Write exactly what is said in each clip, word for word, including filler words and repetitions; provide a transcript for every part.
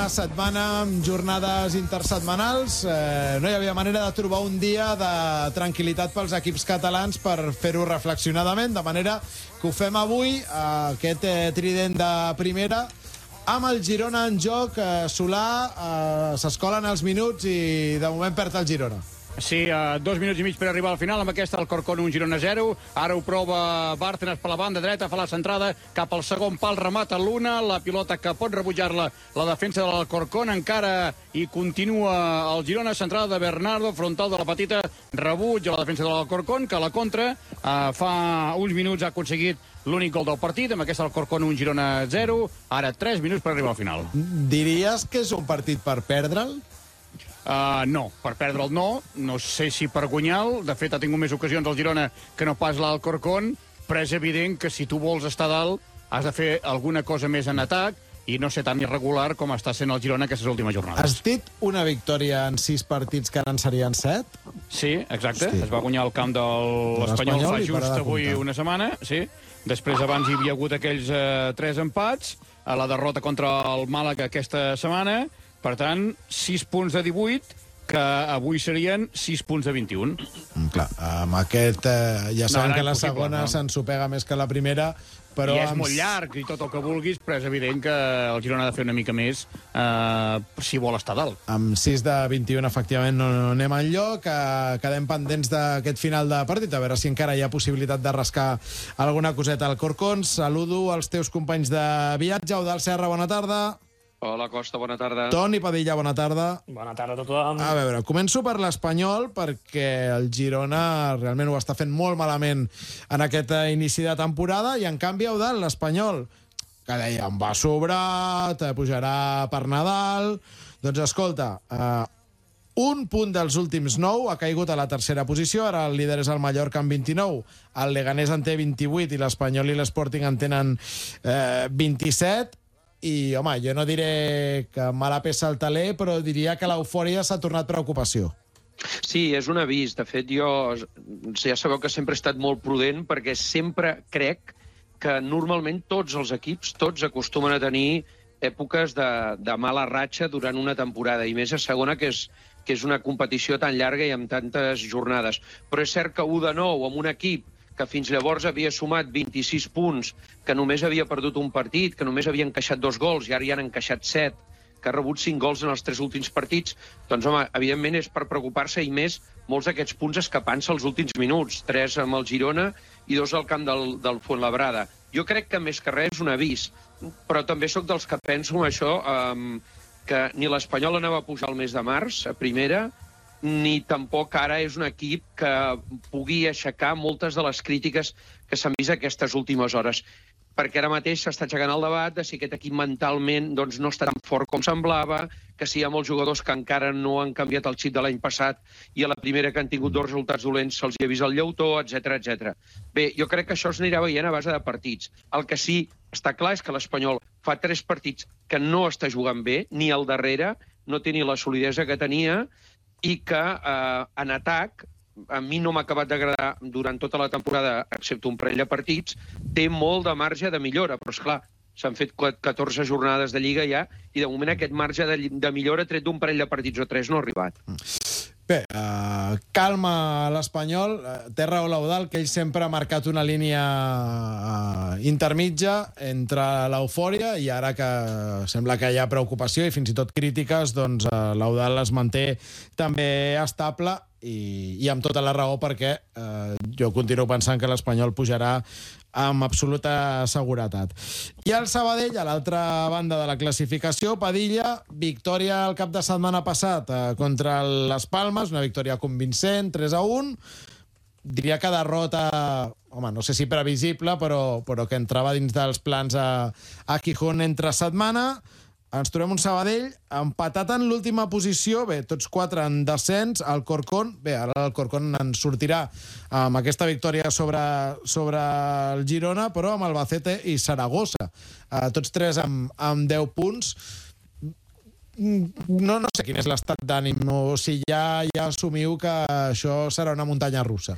setmana amb jornades intersetmanals. Eh, no hi havia manera de trobar un dia de tranquil·litat pels equips catalans per fer-ho reflexionadament, de manera que ho fem avui, eh, aquest eh, trident de primera, amb el Girona en joc. eh, Solà, eh, s'escolen els minuts i de moment perd el Girona. Sí, uh, dos minuts i mig per arribar al final. Amb aquesta el Corcón un Girona zero. Ara ho prova Bárcenas per la banda dreta, fa la centrada cap al segon pal, remata l'una, la pilota que pot rebutjar-la la defensa del Corcón. Encara hi continua el Girona, centrada de Bernardo, frontal de la petita, rebuig a la defensa del Corcón, que a la contra uh, fa uns minuts ha aconseguit l'únic gol del partit. Amb aquesta el Corcón un Girona zero. Ara tres minuts per arribar al final. Diries que és un partit per perdre'l? Uh, no, per perdre'l no. No sé si per guanyar-lo. De fet, ha tingut més ocasions el Girona que no pas l'Alcorcón, però és evident que si tu vols estar dalt has de fer alguna cosa més en atac i no ser tan irregular com està sent el Girona aquestes últimes jornades. Has dit una victòria en sis partits que ara en serien set? Sí, exacte. Hosti. Es va guanyar el camp de l'Espanyol fa just avui una setmana. Sí. Després abans hi havia hagut aquells eh, tres empats, a la derrota contra el Màlaga aquesta setmana. Per tant, sis punts de divuit, que avui serien sis punts de vint-i-un. Mm, clar, amb aquest... Eh, ja sabem No, no, que la impossible, segona no. s'ensopega més que la primera, però... I és amb... molt llarg i tot el que vulguis, però és evident que el Girona ha de fer una mica més eh, si vol estar dalt. Amb sis de vint-i-un, efectivament, no, no anem enlloc. Eh, quedem pendents d'aquest final de partit, a veure si encara hi ha possibilitat de rascar alguna coseta al Corcón. Saludo als teus companys de viatge. Eudald Serra, bona tarda. Hola, Costa, bona tarda. Toni Padilla, bona tarda. Bona tarda a tothom. A veure, començo per l'Espanyol, perquè el Girona realment ho està fent molt malament en aquest inici de temporada, i en canvi, Eudald, l'Espanyol, que dèiem, va sobrat, pujarà per Nadal... Doncs escolta, eh, un punt dels últims nou, ha caigut a la tercera posició, ara el líder és el Mallorca amb vint-i-nou, el Leganés en té vint-i-vuit i l'Espanyol i l'Sporting en tenen eh, vint-i-set. I, home, jo no diré que mala peça al taler, però diria que l'eufòria s'ha tornat preocupació. Sí, és un avís. De fet, jo ja sabeu que sempre he estat molt prudent perquè sempre crec que normalment tots els equips, tots acostumen a tenir èpoques de, de mala ratxa durant una temporada, i més a segona, que és, que és una competició tan llarga i amb tantes jornades. Però és cert que u de nou amb un equip que fins llavors havia sumat vint-i-sis punts, que només havia perdut un partit, que només havia encaixat dos gols i ara hi han encaixat set, que ha rebut cinc gols en els tres últims partits, doncs, home, evidentment és per preocupar-se, i més molts d'aquests punts escapant-se als últims minuts, tres amb el Girona i dos al camp del, del Fuenlabrada. Jo crec que més que res és un avís, però també sóc dels que penso això, eh, que ni l'Espanyol anava a pujar el mes de març, a primera, ni tampoc ara és un equip que pugui aixecar moltes de les crítiques que s'han vist aquestes últimes hores. Perquè ara mateix s'està aixecant el debat de si aquest equip mentalment doncs, no està tan fort com semblava, que si hi ha molts jugadors que encara no han canviat el xip de l'any passat i a la primera que han tingut dos resultats dolents se'ls hi ha vist el llautó, etcètera, etcètera. Bé, jo crec que això es anirà veient a base de partits. El que sí està clar és que l'Espanyol fa tres partits que no està jugant bé, ni al darrere, no té ni la solidesa que tenia, i que eh, en atac, a mi no m'ha acabat d'agradar durant tota la temporada, excepte un parell de partits, té molt de marge de millora, però esclar, s'han fet catorze jornades de Lliga ja, i de moment aquest marge de, de millora tret d'un parell de partits o tres no ha arribat. Bé, uh, calma a l'Espanyol. Té raó l'Eudald, que ell sempre ha marcat una línia uh, intermitja entre l'eufòria i ara que sembla que hi ha preocupació i fins i tot crítiques, doncs uh, l'Eudald es manté també estable i, i amb tota la raó, perquè uh, jo continuo pensant que l'Espanyol pujarà amb absoluta seguretat. I el Sabadell, a l'altra banda de la classificació, Padilla, victòria el cap de setmana passat eh, contra les Palmes, una victòria convincent, tres a un. Diria que derrota, home, no sé si previsible, però, però que entrava dins dels plans a, a Gijón entre setmana. Ens trobem un Sabadell empatat en l'última posició, bé, tots quatre en descens, el Corcón, bé, ara el Corcón en sortirà amb aquesta victòria sobre, sobre el Girona, però amb Albacete i Saragossa, eh, tots tres amb, amb deu punts. No, no sé quin és l'estat d'ànim, o si ja, ja assumiu que això serà una muntanya russa.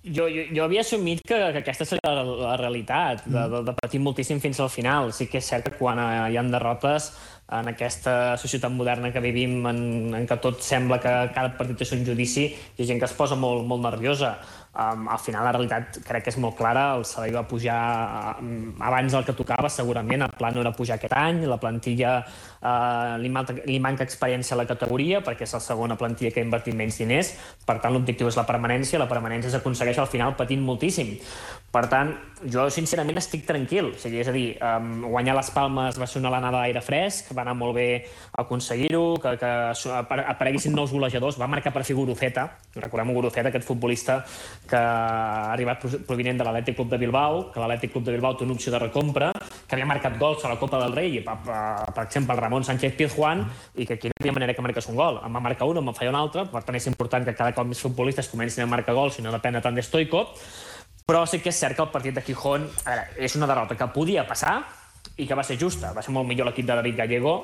Jo, jo, jo havia assumit que, que aquesta seria la, la realitat, de, de, de patir moltíssim fins al final. Sí que és cert que quan hi ha derrotes en aquesta societat moderna que vivim, en, en què tot sembla que cada partit és un judici, hi ha gent que es posa molt, molt nerviosa. Um, al final la realitat crec que és molt clara, el salari va pujar um, abans del que tocava, segurament, el pla no era pujar aquest any, la plantilla uh, li, manca, li manca experiència a la categoria perquè és la segona plantilla que ha invertit menys diners, per tant l'objectiu és la permanència, la permanència s'aconsegueix al final patint moltíssim. Per tant, jo sincerament estic tranquil, o sigui, és a dir, um, guanyar les Palmes va ser una alenada d'aire fresc, va anar molt bé aconseguir-ho, que, que apareguessin nous golejadors, va marcar per fi Guruceta, recordem Guruceta, aquest futbolista que ha arribat provinent de l'Atlètic Club de Bilbao, que l'Atlètic Club de Bilbao té una opció de recompra, que havia marcat gols a la Copa del Rei, per, per exemple, el Ramon Sánchez Pizjuán, i que aquí no hi havia manera que marqués un gol. Em va marcar un, em va fallar un altre, per tant és important que cada cop més futbolistes comencin a marcar gols i no depèn tant de Stoico, però sí que és cert que el partit de Gijón, a veure, és una derrota que podia passar i que va ser justa. Va ser molt millor l'equip de David Gallego,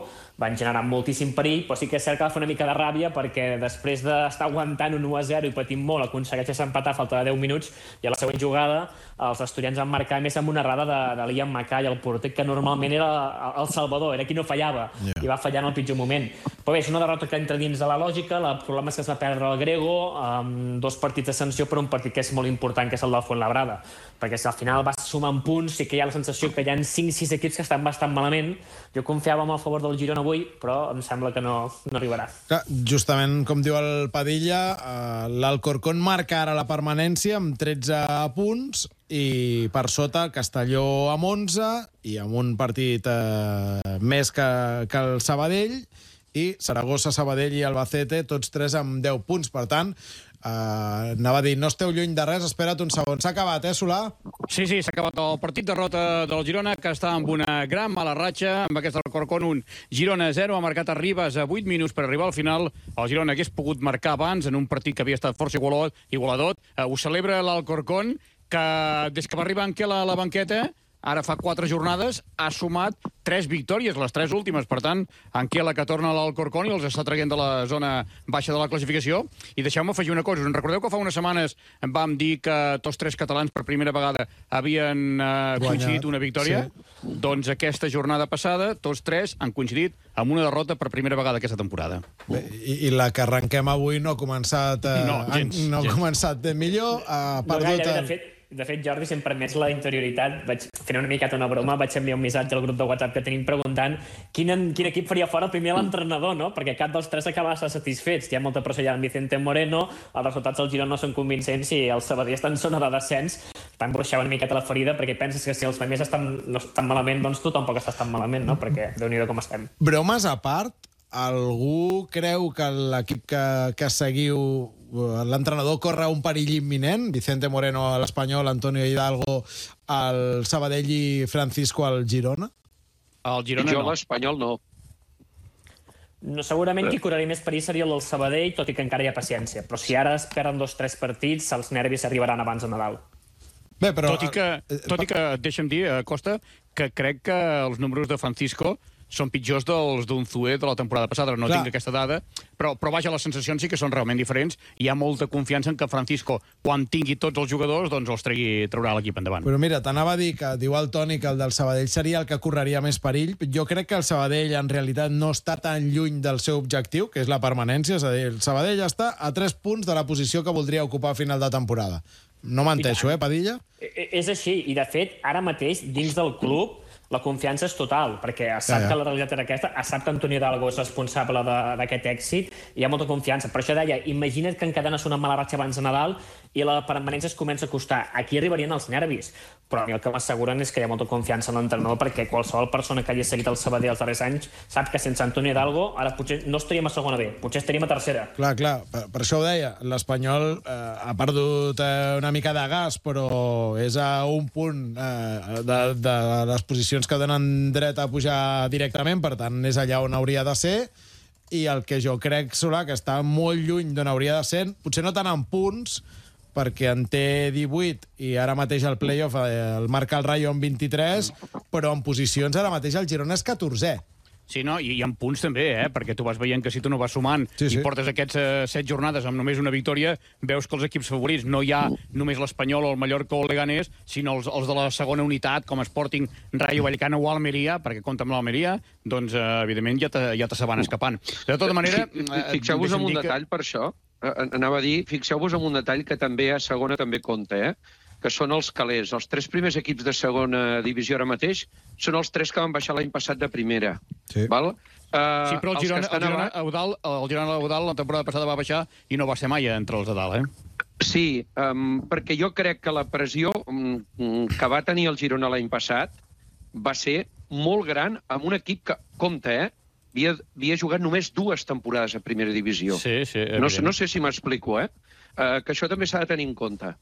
van generar moltíssim perill, però sí que és cert que va fer una mica de ràbia perquè després d'estar aguantant un u a zero i patint molt, aconsegueix empatar a falta de deu minuts i a la següent jugada els asturians van marcar més amb una errada de, de Liam Mackay, el porter, que normalment era el salvador, era qui no fallava, yeah. i va fallar en el pitjor moment. Però bé, és una derrota que entra dins de la lògica, el problema és que es va perdre el Grego, amb dos partits de sanció, però un partit que és molt important, que és el del Fuenlabrada, perquè si al final vas sumant punts, sí que hi ha la sensació que hi ha cinc sis equips que estan bastant malament. Jo confiava en el favor del Girona avui, però em sembla que no, no arribarà. Clar, justament com diu el Padilla, eh, l'Alcorcón marca ara la permanència amb tretze punts i per sota el Castelló amb onze i amb un partit eh, més que, que el Sabadell, i Saragossa, Sabadell i Albacete, tots tres amb deu punts. Per tant, Uh, anava a dir, no esteu lluny de res, espera't un segon. S'ha acabat, eh, Solà? Sí, sí, s'ha acabat el partit, derrota del Girona, que està amb una gran mala ratxa, amb aquest Alcorcón un, Girona zero, ha marcat a Ribas a vuit minuts per arribar al final. El Girona hagués pogut marcar abans en un partit que havia estat força igualador. igualador. Uh, ho celebra l'Alcorcón, que des que va arribar Anquela a la banqueta, ara fa quatre jornades, ha sumat tres victòries, les tres últimes. Per tant, Anquela, que torna a l'Alcorcón i els està traient de la zona baixa de la classificació. I deixeu-me afegir una cosa. Us en recordeu que fa unes setmanes vam dir que tots tres catalans per primera vegada havien eh, coincidit una victòria? Sí. Doncs aquesta jornada passada, tots tres han coincidit amb una derrota per primera vegada aquesta temporada. Bé, i, I la que arrenquem avui no ha començat, eh, no, gens, no ha gens. començat de millor. Ha perdut... No gaire, de fet, De fet, Jordi, si em permets la interioritat, vaig fer una miqueta una broma, vaig enviar un missatge al grup de WhatsApp que tenim preguntant quin, quin equip faria fora primer l'entrenador, no? Perquè cap dels tres acaba de ser satisfets. Hi ha molta pressió ja amb Vicente Moreno, els resultats del Girona no són convincents i el Sabadell està en zona de descens. Van bruixar una miqueta la ferida perquè penses que si els primers estan, no estan malament, doncs tu tampoc estàs tan malament, no? Perquè déu-n'hi-do com estem. Bromes a part, algú creu que l'equip que, que seguiu, l'entrenador corre un perill imminent? Vicente Moreno a l'Espanyol, Antonio Hidalgo al Sabadell i Francisco al Girona? El Girona jo no. l'Espanyol no. No, segurament qui correria més perill seria el Sabadell, tot i que encara hi ha paciència. Però si ara es perden dos o tres partits, els nervis arribaran abans de Nadal. Bé, però... Tot i que, tot i que deixa'm dir, Costa, que crec que els números de Francisco són pitjors dels d'Unzué de la temporada passada. No Clar. tinc aquesta dada, però, però vaja, les sensacions sí que són realment diferents. Hi ha molta confiança en que Francisco, quan tingui tots els jugadors, doncs els tregui, traurà l'equip endavant. Però mira, t'anava a dir que diu el Toni que el del Sabadell seria el que correria més perill. Jo crec que el Sabadell en realitat no està tan lluny del seu objectiu, que és la permanència. És a dir, el Sabadell està a tres punts de la posició que voldria ocupar a final de temporada. No menteixo, eh, Padilla? És així, i de fet, ara mateix, dins del club, la confiança és total, perquè sap ja, ja. que la realitat era aquesta, sap que Antonio Hidalgo és responsable d'aquest èxit, i hi ha molta confiança. Per això deia, imagina't que encadenes una mala ratxa abans de Nadal i la permanència es comença a costar. Aquí arribarien els nervis, però a mi el que m'asseguren és que hi ha molta confiança en l'entrenador, perquè qualsevol persona que hagi seguit el Sabadell els darrers anys sap que sense Antonio Hidalgo ara potser no estaríem a segona B, potser estaríem a tercera. Clar, clar, per, per això ho deia. L'Espanyol eh, ha perdut eh, una mica de gas, però és a un punt eh, de, de les posicions que donen dret a pujar directament, per tant, és allà on hauria de ser, i el que jo crec, Solà, que està molt lluny d'on hauria de ser, potser no tant en punts, perquè en té divuit, i ara mateix el playoff el marca el Rayo amb vint-i-tres, però en posicions ara mateix el Girona és catorzè. Sí, no, i, i en punts també, eh? Perquè tu vas veient que si tu no vas sumant Sí, sí. i portes aquests eh, set jornades amb només una victòria, veus que els equips favorits no hi ha només l'Espanyol o el Mallorca o el Leganés, sinó els, els de la segona unitat, com Sporting, Rayo Vallecano o Almeria, perquè compta amb l'Almeria, doncs, eh, evidentment, ja te, ja te se van escapant. De tota manera... Eh, Fixeu-vos en un que... detall, per això. Eh, Anava a dir, fixeu-vos en un detall que també a segona també compta, eh? Que són els calés. Els tres primers equips de segona divisió ara mateix són els tres que van baixar l'any passat de primera. Sí. Val? Uh, Sí, però el Girona, el Girona, Eudal, el Girona Eudal la temporada passada va baixar i no va ser mai entre els de dalt, eh? Sí, um, perquè jo crec que la pressió um, que va tenir el Girona l'any passat va ser molt gran amb un equip que, compte, eh? Havia, havia jugat només dues temporades a primera divisió. Sí, sí, no, sé, no sé si m'explico, eh? Uh, que això també s'ha de tenir en compte.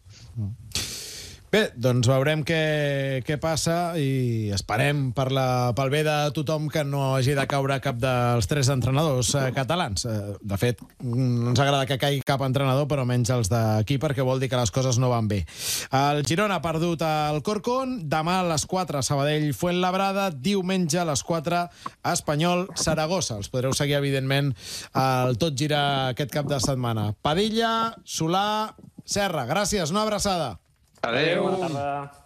Bé, doncs veurem què, què passa i esperem per la, pel bé de tothom que no hagi de caure cap dels tres entrenadors eh, catalans. Eh, de fet, no ens agrada que caigui cap entrenador, però menys els d'aquí, perquè vol dir que les coses no van bé. El Girona ha perdut el Corcón, demà a les quatre Sabadell Fuenlabrada, diumenge a les quatre Espanyol Saragossa. Els podreu seguir, evidentment, al Tot Gira aquest cap de setmana. Padilla, Solà, Serra, gràcies, una abraçada. Adéu. Bona tarda.